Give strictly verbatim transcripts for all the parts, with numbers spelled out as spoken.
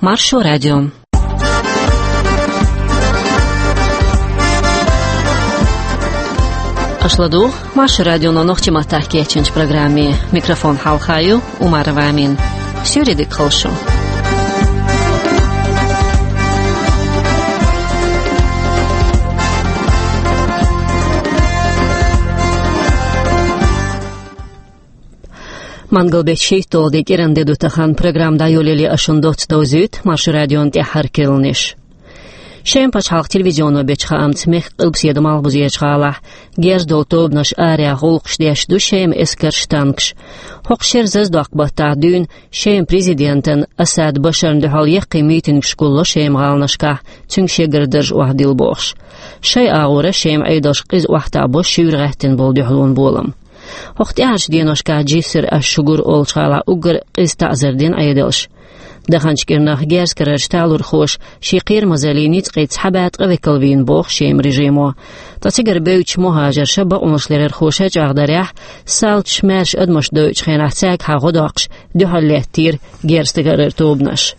Маршо радио. Аша ладугӀу Маршо радионо нохчийн маттахь кечйинчу программе. Микрофон хьалха ю Умарова Амина. Суьйре дика хуьлда шу. Мангал беттан шийтталгӀа де, кӀиранан де ду тахана. Программа дӀайолале ас шуна доцца довзуьйту Маршо радион тӀаьххьара керланаш. Шеман пачхьалкхан телевизионо бечу хаамца, мехкан къилбаседа Малхбузерчу гӀалахь герз долу тобанаш арахь гӀуллакхаш деш ду Шеман эскарш, танкаш. ХӀокху шеран зазадоккху баттахь дуьйна Шеман президентана Асад Башарна дуьхьал яккхий митингаш гулло Шеман гӀаланашкахь, цуьнга шегара дарж охьадилла бохуш. Шайн агӀора Шеман Ӏедалша къиза охьатаӀабо шуьйра гӀаьттина болу дуьхьалонан болам. ХӀокху тӀаьхьарчу деношкахь Джисар, Аш-Шугур олучу гӀалахь уггар къиза таӀзар дина Ӏедалша. Даханчу кӀирнах герз карарчу талорхоша шен кхерамазаллин ницкъийн цхьа бӀе ткъа векал вийна боху Шеман режимо. Ткъа цигара бевддачу мухӀажарша, бакъонашларъярхоша чӀагӀдарехь, салташа маьрша адамаш дойучу хенахь цаьргахьа гӀо доккхуш дуьхьал лаьттира герз карарчу тобанаша.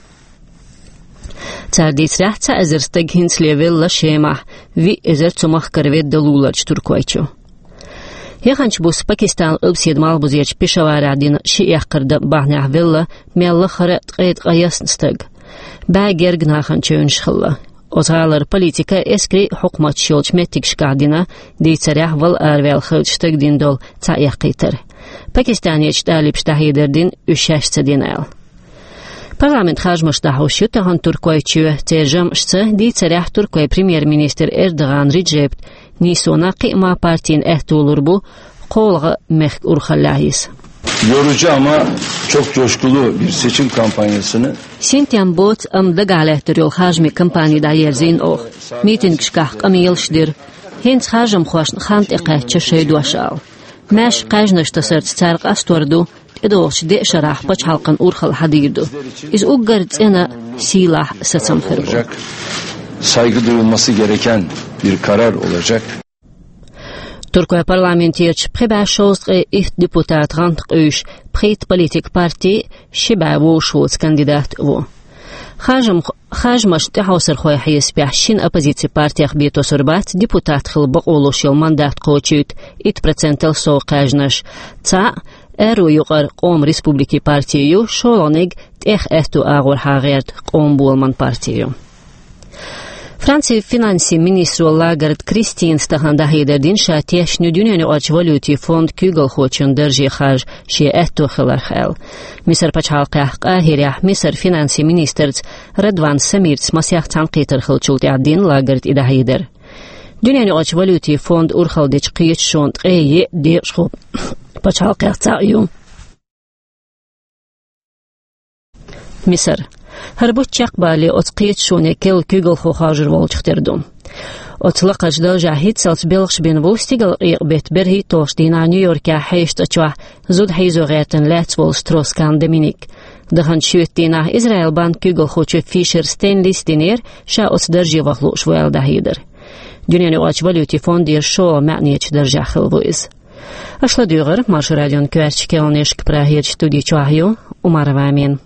Цара дийцарехь, цхьа эзар стаг хӀинцале велла Шемахь, виъ эзар цу махкара ведда луларчу туркойчу. Яханчу буса Пакистанан къилбаседа Малхбузерчу Пешаварехь дина ши эккхар дан бахьанехь велла мел лахара ткъе ткъайоьсна стаг. БӀе гергга нахана чевнаш хилла. Оцу гӀалара политикан, эскарийн хьукматаш йолчу меттигашкахь дина, дийцарехь, вала араваьлла хиллачу стага дина долу цхьа эккхийтар. Пакистанерчу талибаша дӀахьедар дина, уьш шаьш ца дина аьлла. Парламентан харжамаш дӀахьош ю тахана Туркойчоь. Церан жамӀашца, дийцарехь, туркойн премьер-министр Эрдоган Реджепа нийсонан кхиаман партина аьтто лур бу кхоалгӀа мехкан урхаллехь йиса. Yorucu ama çok coşkulu bir seçim kampanyasını Синтем боцу, амма дагахь лаьттар йолу харжамийн кампани дӀаерзийна оха. Митингашкахь къамелаш дира. ХӀинца харжамхошна хан тӀекхаьчча шайн дош ала. Маьрша кхаьжнаш тасарца цара къастор ду, тӀедогӀучу деа шарахь пачхьалкхан урхалла хьадийр ду. Иза уггар цӀена, сийлахь сацам хир бу. Saygı duyulması gereken bir karar olacak. Туркойн парламентерчу пхи бӀе шовзткъе итт депутатан гӀант къуьйсуш, пхийтта политикан парти ши бӀе вовшахвоцу кандидат а ву. Харжам-, харжамашна тӀехьовсархойн хьесапехь шина оппозицин партех бен тосур бац депутат хила бакъо луш йолу мандат кхочуьйту итт процентал сов кхаьжнаш. Цхьаъ, аьрру юкъара Къоман республикин парти ю, шолгӀаниг тӀех аьтту агӀор хьагӀерта Къоман боламан парти ю. Францин финансийн министро Лагард Кристинас тахана дӀахьедар дина, ша тешна ю дуьненаюкъарчу валютийн фондан куьйгалхочун дарже харжа шен аьтто хиларх аьлла. Мисар пачхьалкхехь Къахирехь Мисар финансийн министрца Радван Самирца масех цхьаьнакхетар хиллачул тӀаьхьа дина Лагарда и дӀахьедар. Дуьненаюкъарчу валютийн фондан урхалла дечу кхеташонан ткъе еа декъашхо пачхьалкхех цхьаъ ю Мисар. ХӀара бутт чекхбалале оцу кхеташоне керла куьйгалхо хоржур волчух тера ду. Оцу лакхарчу даржехь хӀинццалц белхаш бина ву стигалкъекъа-беттан берхӀитталгӀачу дийнахь Нью-Йоркехь хьешан цӀа чохь зуда хьийзо гӀертина лаьцна волу Строс-Кан Доминик. Даханчу шоьтан дийнахь Израилан банкан куьйгалхочо Фишер Стэнлис динера ша оцу дарже ваха лууш ву аьлла дӀахьедар. Дуьненаюкъарчу валютийн фондера шолгӀа маьӀнечу даржехь хилла ву иза. Аша ладуьйгӀира Маршо радион коьртачу керланашка. Прагерчу студи чохь ю Умарова Амина.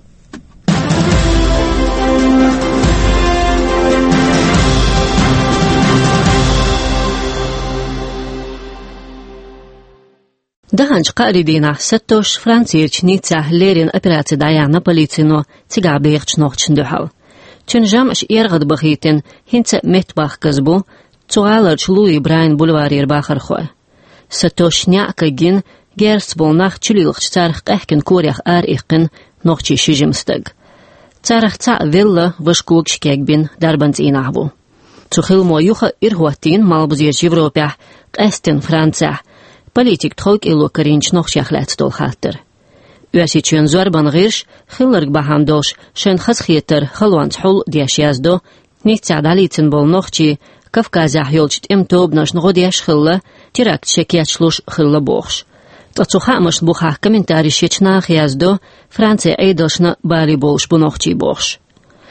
Даханчу кхаарин дийнахь сатош Францерчу Ниццехь леррина операци дӀаяьхьна полицино цигахь бехачу нохчашна дуьхьал. Цуьнан жамӀаш эргӀадбахийтина, хӀинца а меттабахказа бу цу гӀаларчу Луи Брайан бульварера бахархой. Сатош неӀ кагйина, герзаца болу нах чулилхича, царах къаьхкина корех ара иккхина нохчийн ши жима стаг. Царах цхьаъ велла, важа когаш кегбина, дарбан цӀийнахь ву. Цу хиламо юха а ира хӀоттийна Малхбузерчу Европехь, къаьсттина Францехь, политикан тховкӀело карийначу нохчех лаьцна долу хаттар. Оьрсийчоьнан зорбанан гӀирсаша хилларг бахьана долуш шайна хазахетар халонца хьул а деш яздо, Ниццехь дӀалецна болу нохчий Кавказехь йолчу тӀеман тобанашна гӀо деш хилла, теракташ шайн кечлуш хилла бохуш. Ткъа цу хаамашна бухахь комментареш ечу наха яздо, Францин Ӏедалшна бале болуш бу нохчий бохуш.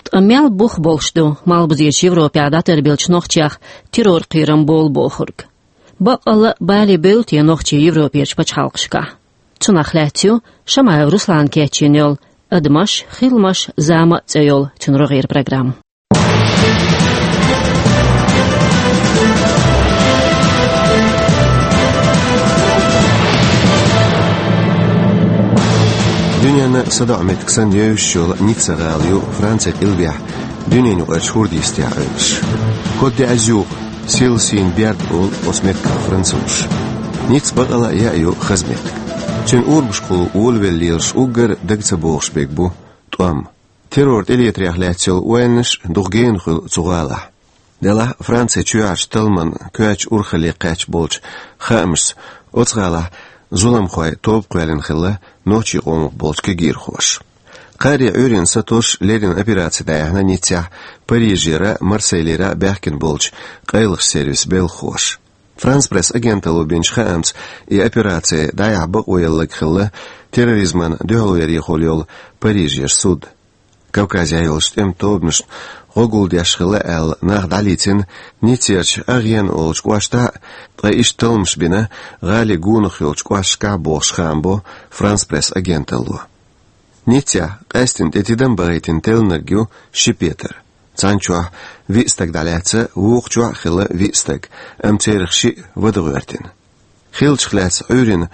Ткъа мел бух болуш ду Малхбузерчу Европехь дӀатарбеллачу нохчех террор кхерам болу бохург? Баккъалла а бале бевлла те нохчий Европерчу пачхьалкхашкахь? Цунах лаьцна ю Шамаев Руслана кечйина йолу «Адамаш, хиламаш, зама» цӀе йолу цуьнан рогӀера программа. Дуьненна садоӀу меттиг санна евзаш йолу Ницца-гӀала ю Францин кӀилбехь, дуьненаюкъарчу хӀордан йистехь Ӏуьллуш. ХӀотта де аз юха, сила сийна берда олу оцу меттигах французаша. Ницца бакъ а яа ю хаза меттиг. Цуьнан урамашкахула волавелла лелаш уггар дага ца богӀуш берг бу тӀом. Террор тӀелетарех лаьцна йолу ойланаш дукха гена хуьлу цу гӀалахь. Делахь Францин чоьхьарчу талламан коьртачу урхалле кхаьчна болчу хаамашца оцу гӀалахь зуламхойн тоба кхоьллина хилла нохчийн къомах болчу кегийрхоша. Кхаари Ӏуьйранна сатосуш леррина операци дӀаяьхьна Ниццехь Парижера а, Марселера а баьхкина болчу къайлахчу сервисан белхахоша. Франс Пресс агенталло бинчу хаамца, и операци дӀаяхьа бакъо ялларг хилла терроризмана дуьхьалверехула йолу Парижера суд. Кавказехь йолчу тӀеман тобанашна гӀо гулдеш хилла аьлла нах дӀалийцина Ниццерчу Агена олучу кӀоштахь а, ткъа иштта талламаш бина гӀалин гонах йолчу кӀошташкахь а бохуш хаам бо Франс Пресс агенталло. Ниццехь къаьсттина тӀе тидам бахийтина теллинарг ю ши петар. Цхьана чохь виъ стаг дӀалаьцна, вукху чохь а хилла виъ стаг, амма церах шиъ вада гӀоьртина. Хиллачух лаьцна Ӏуьйранна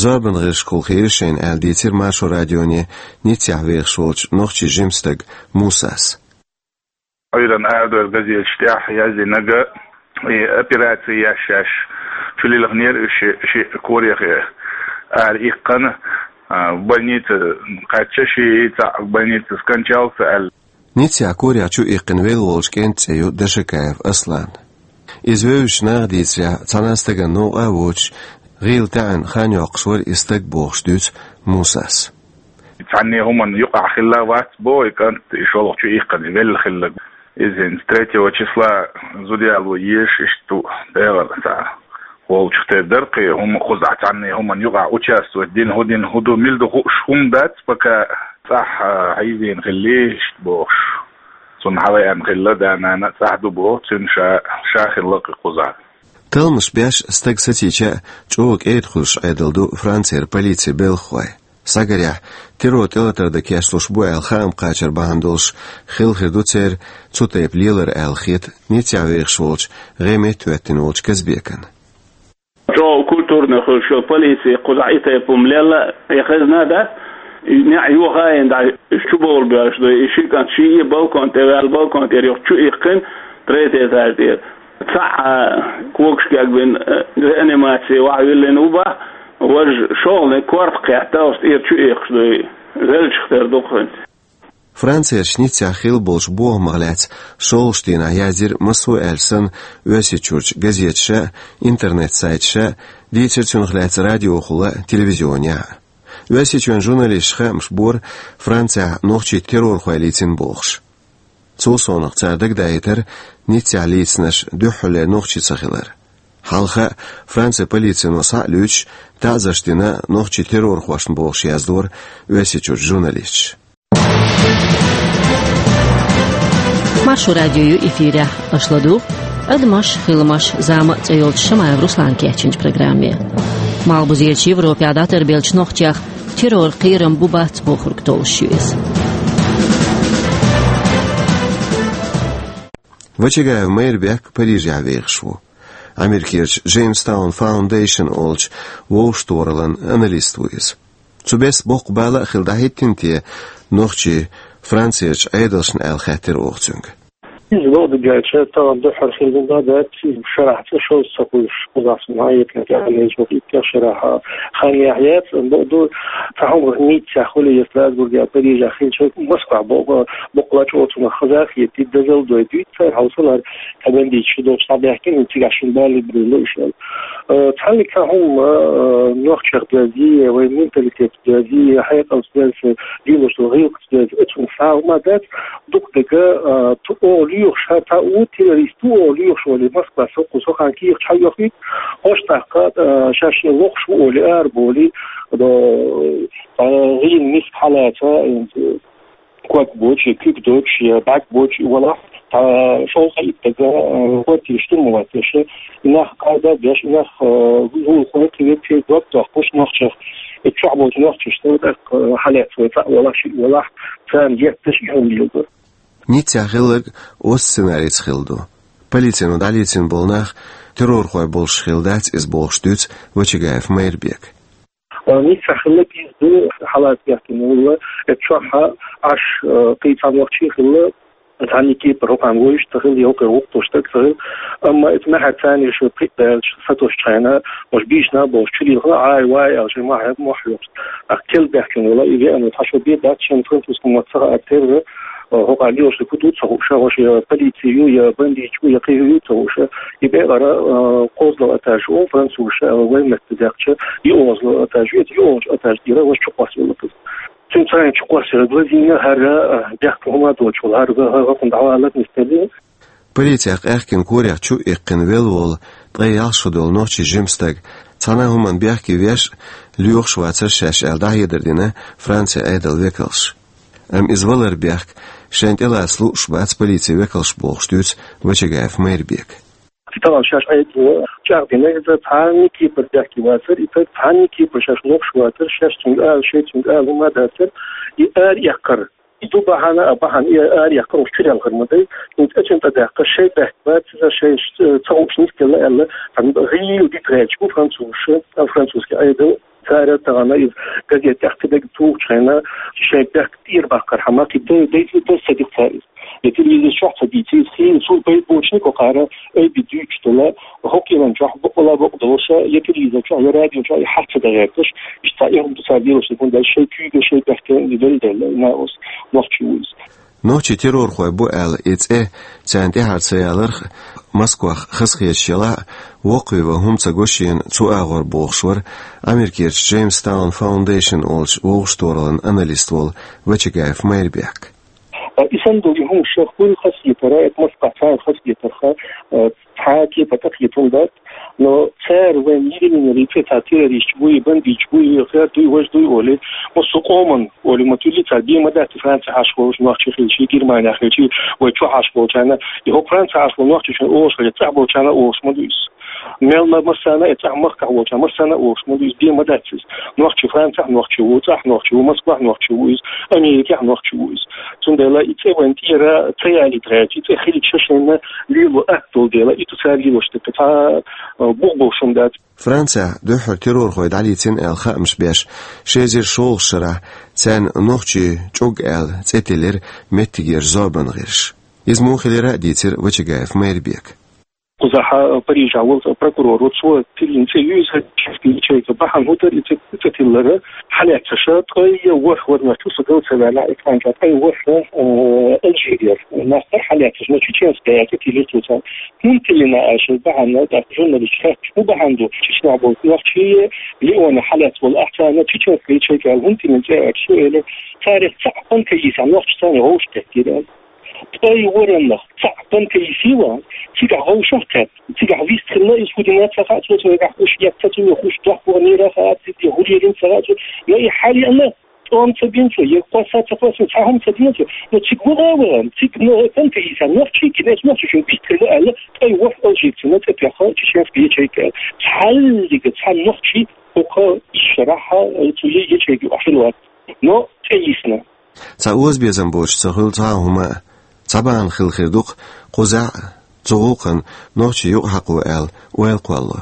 зорбанан гӀирсашкахула хиира шайна аьлла дийцира Маршо радионе Ниццехь вехаш волчу нохчийн жима стага Мусас. Ӏуьйранна арадевлла газеташ тӀехь яздинарг, и операци еш шаьш чу лилхинера уьш ши, ши корехь ара иккхина, а, больница кхаьчча, ши цхьаъ больница скончался аьлла. Ниццехь корехь чу иккхина велла волчу кӀентан цӀе ю Дашакаев Аслан. Иза вевзачу наха дийцарехь, цхьана а стагана новкъа а воцуш, гӀийла таьӀна хан йоккхуш вара и стаг бохуш дуьйцу Мусас. Цхьанне хӀуманна юкъахь хилла вац боху и кӀант, и шолгӀа чу иккхина велла хилларг. Иза хӀинца третьего числа зуда яло езаш иштта ву, дегӀана цхьа волчух тера дара кхин хӀума, кхузахь цхьанне хӀуманна юкъахь участвовать дина, хӀун дина, хӀун ду, мила ду хууш хӀума дац, пока цӀахь, а, хьийзийна хилла иштта бохуш. Цунна хьавеана хилла, да-нана а цӀахь ду боху, цуьнан ша, ша хилла кхин кхузахь. Талламаш беш стаг сацийча а, чӀогӀа кӀеда хуьлуш Ӏедал ду Францера полицин белхахой. Схьагарехь, террор тӀелатар дан кечлуш бу аьлла хаам кхачар бахьана долуш хилла хир ду церан цу тайпа лелар аьлла хета Ниццехь вехаш волчу, гӀеметтахӀоьттина волчу Казбекана. ЧӀогӀа культурно хуьлуш йолу полици кхузахь и тайпа хӀума лелла, и хезна а дац, и неӀ йохаийна дӀа чу бовла боьллуш ду, и ши кӀант ший а балкон тӀе ваьлла, балкон тӀера юха чу иккхина, третий этаж тӀера. Цхьаъ когаш кегбина, э, реанимаци вахьа виллина ву бах, важа шолгӀаниг корта кхетта, оцу тӀера чу иккхаш ду и, веллачух тера ду-кх хӀинца. Францерчу Ниццехь хилла болчу бохамах лаьцна шолгӀачу дийнахь яздира массо а аьлча санна Оьрсийчуьрчу газеташа а, интернет-сайташа а, дийцира цунах лаьцна радиохула а, телевизионехь а. Оьрсийчоьнан журналисташа хаамаш бора Францехь нохчий террорхой лийцина бохуш. Цул совнаха цара дагадаийтара Ниццехь лийцинарш дуьххьарлера нохчий ца хилар. Хьалха а Францин полицино схьа а луьйчуш, таӀзарш дина нохчий террорхошна бохуш яздора Оьрсийчуьрчу журналисташа. Маршо радио ю эфирехь, аша ладугӀу «Адамаш, хиламаш, зама» цӀе йолчу Шамаев Руслана кечйинчу программе. Малхбузерчу Европехь дӀатарбеллачу нохчех террор кхерам бу-бац бохург толлуш ю иза. Вачагаев Майрбек Парижехь вехаш ву. Америкерчу Джеймстаун Фаундейшн олучу вовшахтохараллин аналист ву иза. Цу бесса боккха бала а хилла дӀахӀиттина те нохчий Францерчу Ӏедалшна аьлла хаьттира оха цуьнга. Иза бакъду аьлча, тахана дуьххьара хилла ма дац, иза шарахь цӀа шозза ца хуьлуш, кхузахь суна хьаэцна тӀехь, лежа итт шарахь хан яхьа яц, бакъду, цхьа хӀума Ниццехь хуьлий, я Страсбургехь, Парижехь хилча, Москвахь бо-, бо-, боккъала чӀогӀа цунах хаза а хетий, дозалла дой дуьйцу цара, хьовсал хӀара, цхьа бандиташ шу долчу схьабаьхкина, цигахь шуна бала бевлла уьш аьлла. Э, цхьаннега цхьа хӀума, э, нохчех доьзна, вайн менталитет доьзна, хьекъалца доьзна, дилош долу гӀиллакхаца доьзна, оцунах схьа а хӀума дац, дукха дерг, а, ту-, оха лоьхуш, ша та ву, террорист ву оха лоьхуш волий, Москва со кху со хан кехаташ хьайохуьйту, хӀорш тӀаккха, а, шаьш шен лохуш ву олий, арабовлий, до, а, гӀийла миска хьалаца, а, ког боцуш, я куьг доцуш, я бӀаьрг боцуш и валахь, та шолгӀа-итт дага, а, квартира штурмовать деш, и нах кхайда а беш, и нах, а, гулахой кхин векфе дог доккхуш нохчех. И чохь болчу нохчашна тӀаккха хьалаьцна вай цхьаъ валахь, шиъ валахь, царна етташ и хӀума леладо. Ниццехь хилларг оцу сценарица хилла ду. Полицино дӀалецна болу нах террорхой болуш хилла дац иза бохуш дуьйцу Вачагаев Майрбека. Ниццехь хилларг иза ду, хьалаца баьхкина волу, эцу чохь Ӏаш, кхин цхьа нохчи хилла, цхьанна кепара хӀокхарна вевзаш ца хилла, я хӀокхуьнга гӀуллакх деш ца хилла. Амма иза маьхьа царна ша пхиъ даьлча, сатосучу хьайна, уьш бийшина а болуш, чуьра хилла, Ӏай, вай аьлла, шайн мохь, мохь йохуш. Ахь кел баьхкина волу, и веана, цхьа шо бен дац, шен французский мотт ца хаьа терра, хӀокхарна лелаш хӀун ду ца хууш, хӀорш я полици ю, я бандиташ бу, я кхин хӀун ю ца хууш. И бекъара кхозлагӀа этаж ву, французаша вайн метта даьккхича, йоьалгӀа этаж ву, иза йоьалгӀачу этаж тӀера вайша чукхоссавелла. Цуьнан цхьаьна чукхоссавелла глазийна хӀара, бехк хӀума доцуш волу, хӀара, хӀара, хӀара хӀокхунна дӀавалар нисделла. Полицех къаьхкина, корех чу а иккхина велла волу, ткъе ялх шо долу нохчи жима стаг, цхьана а хӀуманна бехке веш, лоьхуш вацара шаьш аьлла, дӀахьедар дина Францин Ӏедалан векалша. Амма иза валар бехк, шайна тӀелаца лууш бац полицин векалша бохуш дуьйцу Вачагаев Майрбека. Тахана шаьш Ӏедало чӀагӀдина иза, цхьанна кепара бехке вацара и стаг, цхьанна кепара шаьш лохуш вацара, шаьш цуьнга ала, шайн цуьнга ала хӀума дацара, и ара эккхар. И ду бахьана, а бахьана и ара эккхар уьш чуьра хир ма дай. ХӀинца эццахь тӀедаккха шайн бехк бац иза, шайн ца хууш нисделла аьлла, цхьана гӀийла дита гӀерташ бу французаша, а французский Ӏедал. Цара тахана иза газета тӀехь ца дерг тухучу хенахь, шайн бехк тӀера баккхархьама, кхин дай, дай, дай ца дира цара иза. Я телевизор чохь ца дийцира иза, хийла цул пайда боцуш никъ кхара, айби дуьйцуш долу, хӀокху кӀелан чохь бакъала бакъ долуша, я телевизор чохь, я радио чохь, я хьаста ца дагӀерташ, иштта цхьа эхь ду цара лелаш дерг, шайн куьйга, шайн бехке велла дела, наос, нохчи ву иза. Нохчий террорхой бу аьлла и цӀе царна тӀаьхьара ца яларх, Москвах хазахеташ ялахь а, воккхаве ван хӀума ца го шена цу агӀор бохуш вара Америкерчу Джеймстаун Фаундейшн олучу вовшахтохараллин аналист волу Вачагаев Майрбек. И санна долу и хӀума шех хуьлу хазахетара, это Москвахь царна хазахетарха, цхьа а кепара тӀекхета хӀума дац, но цара вайн йирминера и цӀе цхьа террористаш буй, бандиташ буй, хер дуй, важа дуй олий, массо а къоман олий ма туьллий цара, бен ма дац и Францехь Ӏаш волуш нохчи хилчий, Германехь хилчий, вай чохь Ӏаш волчарна, и хӀокху Францехь Ӏаш волу нохчи шайна олуш хилча, цӀахь болчарна а олуш ма ду иза. Мел ма массарна а, и цӀахь махкахь волчарна массарна а олуш ма ду иза, бен ма дац иза. Нохчи Францехь нохчи ву, цӀахь нохчи ву, Москвахь нохчи ву иза, Америкехь нохчи ву иза. Цундела и цӀе вайн тӀера ца ялийта гӀерташ, и цӀе хилча шайна лело атта долу дела, и ду цара лелош дерг, цхьа а бух болуш хӀума дац. Францехь дуьххьара террорхой дӀалецна аьлла хаамаш беш, ши эзар шолгӀачу шарахь царна нохчий чӀуг аьлла цӀе тиллира меттигерчу зорбанан гӀирсаша. Иза муха хилира а дийцира Вачагаев Майрбека. Кхузахь Парижехь волу прокурор ву, цо тиллина цӀе ю иза, ячейка бахьана хӀун дара и цӀе, цӀе тиллара, хьалаьцнарш ткъе ворхӀ вара, чу со гал ца ваьллехь, экранчохь ткъе ворхӀ, э, Алжирера нах бара хьалаьцнарш, но чеченская цӀе тиллира цо царна. ХӀунда тиллина аьлча бахьана, тӀаккха журналисташа хаьттира, хӀун бахьана ду, Чечнехь болу нохчий, Лионе хьалаьцна болу ахь царна, чеченская ячейка аьлла, хӀунда тиллина цӀе аьлча, цо элира, царах цхьаъ панкаистан нохчи царна вовшах кхеттера аьлла. Ткъе ворхӀаннах цхьаъ панкаист ван, цигахь вовшах кхетта, цигахь вистхилла иза, хӀун дина ца хаьа цо, цо вегахь хӀуш етта ца, цо хӀуш дохко нера хаьа, цига хӀун лелийна ца хаьа цо, но и хьалеана, тӀом ца бина цо, я кхосса ца кхоссина, цхьа хӀума ца дина цо, но цига ваха а вахана, цига но панкаистан нохчий гина, иза нохчашна вистхилла аьлла, ткъе ворхӀ алжирцана цӀе тоьхна чеченская ячейка аьлла. Цхьаллига цхьа нохчи хӀокху исс шарахь цу ячейка юкъахь хилла вац, но цӀе йисна. Цхьа озабезам боцуш ца хуьлу цхьа а хӀума а. Цхьа бахьана хилла хир ду-кх кхузахь а цу гӀуллакхна нохчий юкъахьакхо аьлла ойла кхолло.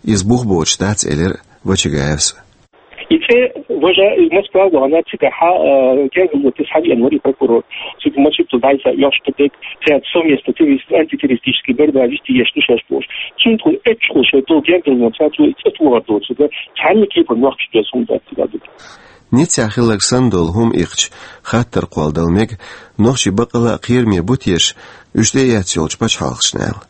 Иза бух боцуш дац, элира Вачагаевс. И цӀе важа Москва вахана, цигахь гергарло тесна хьавеана вара и прокурор. Цига Мачиту дӀайса йош кхидерг, цаьрца совместно террорист-, антитеррористическая борьба вести еш ду шаьш бохуш. Цуьнан тхуна эцчахула шайн долу гергарлонца цо и цӀе тохар доцург, цхьанна кепара нохчаш доьзна хӀума дац цигахь ду. Ниццехь хилларг санна долу хӀума иккхича, хаттар кхолладала мега нохчий баккъалла а кхераме бу теша уьш тӀеэцна йолчу пачхьалкхашна аьлла.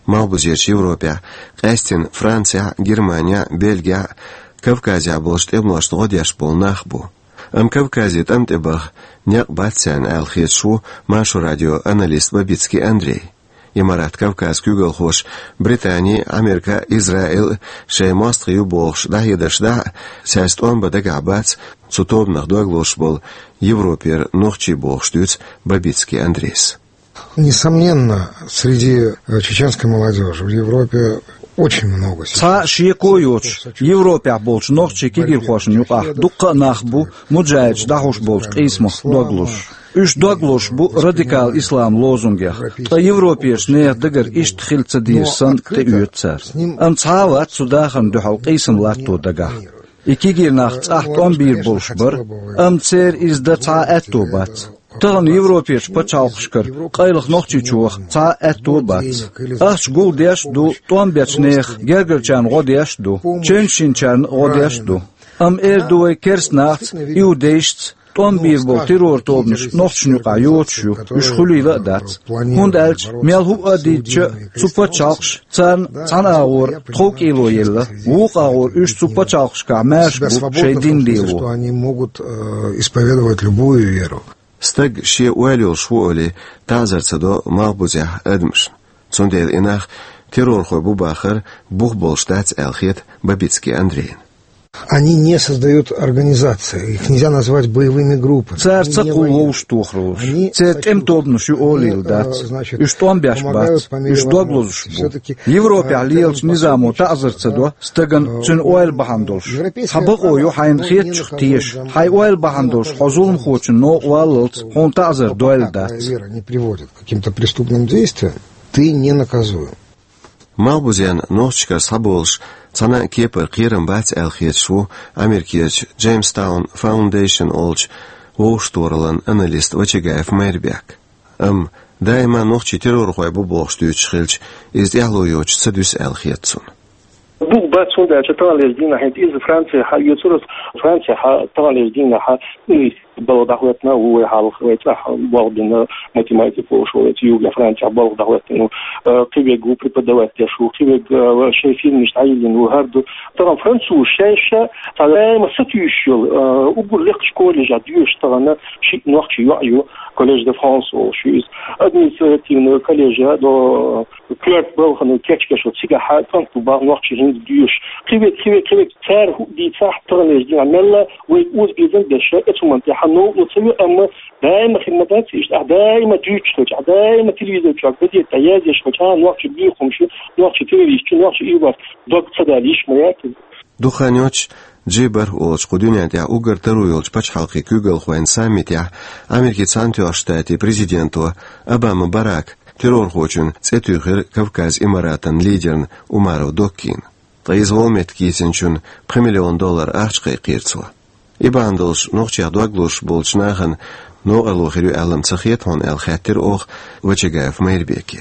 Малхбузерчу Европехь, къаьстина Францехь, Германехь, Бельгехь, Кавказехь болчу тӀемалошна гӀо деш болу нах бу. Амма Кавказе тӀам тӀе баха некъ бац царна аьлла хеташ ву Маршо радион аналист Бабицкий Андрей. Имарат Кавказ куьйгалхоша Британи, Америка, Израиль шайн мостагӀий ю бохуш дӀахьедарш дахь а, цаьрца тӀом бан дагахь бац цу тобанах дог лозуш болу Европера нохчий бохуш дуьйцу Бабицкий Андрейс. Несомненно, среди, э, чеченской молодёжи в Европе Очень много сейчас. Цхьа шеко йоцуш, Европехь болчу нохчийн кегийрхошна юкъахь дуккха а нах бу муджахӀидаш дӀахьуш болчу къийсамах дог лозуш. Уьш дог лозуш бу радикал ислам лозунгех, ткъа европерчу нехан дагара иштта хила ца дезаш санна тӀеоьцу цара. Амма цхьа а вац цу дахарна дуьхьал къийсам латто дагахь. И кегийрхой цӀахь тӀом бийр болуш бара, амма церан иза дан цхьа а аьтто бац. Тахана европерчу пачхьалкхашкара къайлаха Нохчийчу ваха цхьа а аьтто а бац. Ахча гулдеш а ду, тӀом бечу нехан гергарчарна гӀо деш а ду, чевнаш йинчарна а гӀо деш а ду. Амма эр ду вай керстанахца, иудейшца, тӀом бийр болу террор тобанаш нохчашна юкъахь йоцуш ю, уьш хуьлийла а дац. ХӀунда аьлча мел хӀуъа а дийцича а, цу пачхьалкхаша царна цхьана агӀора тховкӀело елла, вукху агӀора уьш цу пачхьалкхашкахь маьрша бу шайн дин лело. Они могут э, исповедовать любую веру. Стаг шен ойла йолуш ву олий, таӀзар ца до малхбузехь адамашна. Цундела и нах террорхой бу бахар бух болуш дац аьлла хета Бабицкий Андрейна. Они не создают организации, их нельзя назвать боевыми группами. Цара ца кхуллу вовшахтохараллаш. Церан тӀеман тобанаш ю олийла дац. Уьш тӀом беш бац, уьш дог лозуш бу. Европехь лелачу низамо таӀзар ца до стагана цуьнан ойла бахьана долуш. Хьан бакъо ю хьайна хетачух теша, хьайн ойла бахьана долуш хьо зуламхочун новкъа валлалц хьуна таӀзар дойла дац. Вера не приводит к каким-то преступным действиям, ты не наказуем. Малхбузен нохчашкара схьаболуш цхьана а кепара кхерам бац аьлла хеташ ву Америкерчу Jamestown Foundation олучу вовшахтохараллин аналист Вачагаев Майрбек. Амма даима нохчий террорхой бу бохуш дуьйцуш хилча, иза тӀаьхьало йоцуш ца дуьсу аьлла хета цунна. Бух бац, хӀунда аьлча таханлерчу дийнахь хӀинца иза Францехь а оьцур ас, Францехь а таханлерчу дийнахь а балха дӀахӀоьттина ву вай хьалха, вай цӀахь болх бина математик волуш ву, вай цу югахь Францехь болх дӀахӀоьттина ву, э, кхин верг ву преподавать деш ву, кхин верг, э, шайн фирмаш дӀайиллина ву, хӀара ду. Тахана французаш шаьш а цхьа даима сатуьйсуш йолу, э, уггар лекхачу колледжехь доьшуш тахана шиъ нохчи йоӀ ю, Collège de France олуш ю иза. Административный колледжехь до коьрта балхана кечбеш ву, цигахь а кӀант бу боху нохчи хӀинца доьшуш. Кхин верг, кхин верг, кхин верг, цара хӀуъа дийцахь, таханлерчу дийнахь мелла вайга озабезам беш, оцу хӀуманна тӀехь новкъарло ца ве, амма даима хир ма дац иштта, ахь даима дуьйцуш хилча, ахь даима телевизор чохь, газетехь яздеш хилча, а, нохчи боьха хӀумнаш ю, нохчи террорист ю, нохчи ийгӀорца дог ца дала йиш ма яц иза. Дукха хан йоццуш Джи бархӀ олучу кху дуьнен тӀехь уггар таро йолчу пачхьалкхийн куьйгалхойн саммитехь Америкин Цхьаьнатоьхначу Штатийн президенто Обама Барака террорхочун цӀе туьйхира Кавказ Имаратан лидерна Умаров Доккина. Ткъа иза волу меттиг йийцинчунна пхи миллион доллар ахча кхайкхийра цо. И бахьана долуш нохчех дог лозуш болчу нахана новкъарло хир ю аьлла-м ца хета хьуна аьлла хаьттира оха Вачагаев Майрбеке.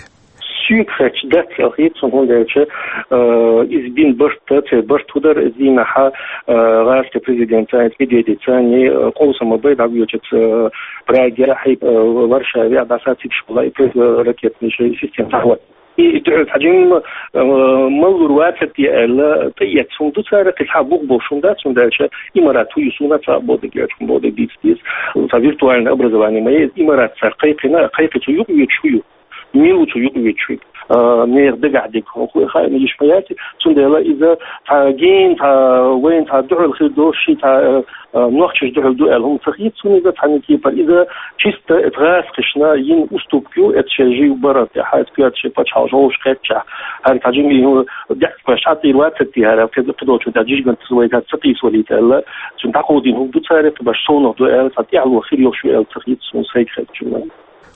Соьга хаьттича дац аьлла хета суна, хӀунда аьлча, э, иза бина барт, церан барт хӀун дара, иза дийнахь а, э, гӀазкхийн президентца, Медведевца, э, къовсам бай дӀавоьдучу, э, Прагехь, э, Варшавехь дӀасацийсаш хилла и противоракетный система дӀахӀоттийна. И дуьхьал цхьа жимма, э, маллур вацар те аьлла, тӀеэцна хӀума ду цара, кхин цхьа бух болуш хӀума дац, хӀунда аьлча Имарат хӀун ю суна цхьа а бохург, яц хӀума бохург дийца деза. Цхьа виртуальное образование ма ю иза, Имарат цара кхайкхина, кхайкхи цу юкъа вуьтуш хӀун ю? Мила ву цу юкъа вуьтуш верг? А, нехан дагахь дерг хӀун хаийна йиш ма яц, цундела иза цхьа гена, цхьа вайна цхьа дуьхьал хир долуш, ши цхьа, а, нохчашна дуьхьал ду аьлла хӀума ца хета суна иза цхьана кепара. Иза чисто гӀазкхашна йина уступка ю, эцу шайн жив баран тӀехь, эцу коьрта шайн пачхьалкхаш вовшахкхетчахь. ХӀара цхьа жимма и хӀума декъашха тӀера вацар те хӀара, кхидолчунна тӀехь жижиган вайгахь ца къийсавалийта аьлла, цуьнан дӀакховдийна хӀума ду цара, кхин баш совнах ду аьлла, цхьа тӀаьхьало хир йолуш ю аьлла ца хета суна, сайга хаьттича.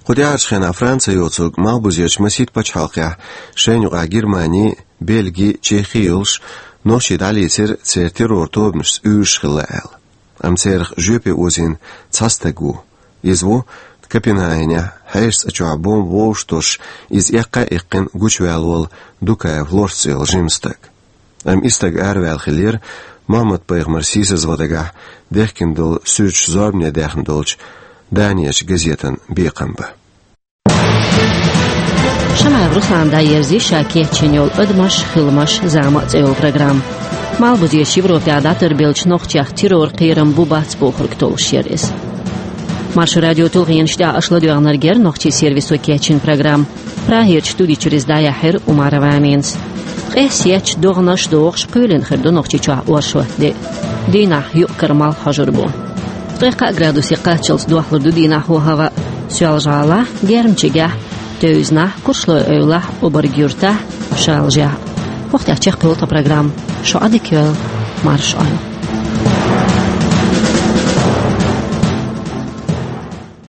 Кху тӀаьхьарчу хенахь Францехь йоцург малхбузерчу масийтта пачхьалкхехь шайна юкъахь Германи, Бельги, Чехи йолуш, нохчий дӀалийцира церан террор тобанашца уьйраш хилла аьлла. Амма царах жоьпе озийна цхьа стаг ву. Иза ву Копенгагенехь хьешан цӀа чохь бомба вовшахтосуш, иза эккха а эккхина гучуваьлла волу Дукаев Лорс цӀе йолу жима стаг. Амма и стаг араваьлла хиллера Мухьаммад-пайхамар, сийсазван дагахь, дехкина долу суьрташ зорбане даьхна долчу Данерчу газетан бекхам бан. Шамаев Руслана дӀаерзий ша кечйина йолу «Адамаш, хиламаш, зама» цӀе йолу программа. Малхбузерчу Европехь дӀатарбеллачу нохчех террор кхерам бу-бац бохург толлуш яра иза. Маршо радион тулгӀенаш тӀехь аша ладоьгӀнарг яра нохчийн сервисо кечйина программа. Прагерчу студи чуьра иза дӀаяьхьира Умарова Аминас. Къесса етташ, догӀанаш а дохуш, кхоьлина хир ду Нохчийчохь оршот де. Дийнахь юкъ-кара малх хьожур бу. Ткъе кхаа градусе кхаччалц дохлур ду дийнахь хӀаваъ Соьлжа-ГӀалахь, Гермчигехь, Тевзанахь, Куршлой-Эвлахь, Обарг-Юьртахь, Шалажехь. Ochtja čehkul ta program. Šo adikvel marš aju.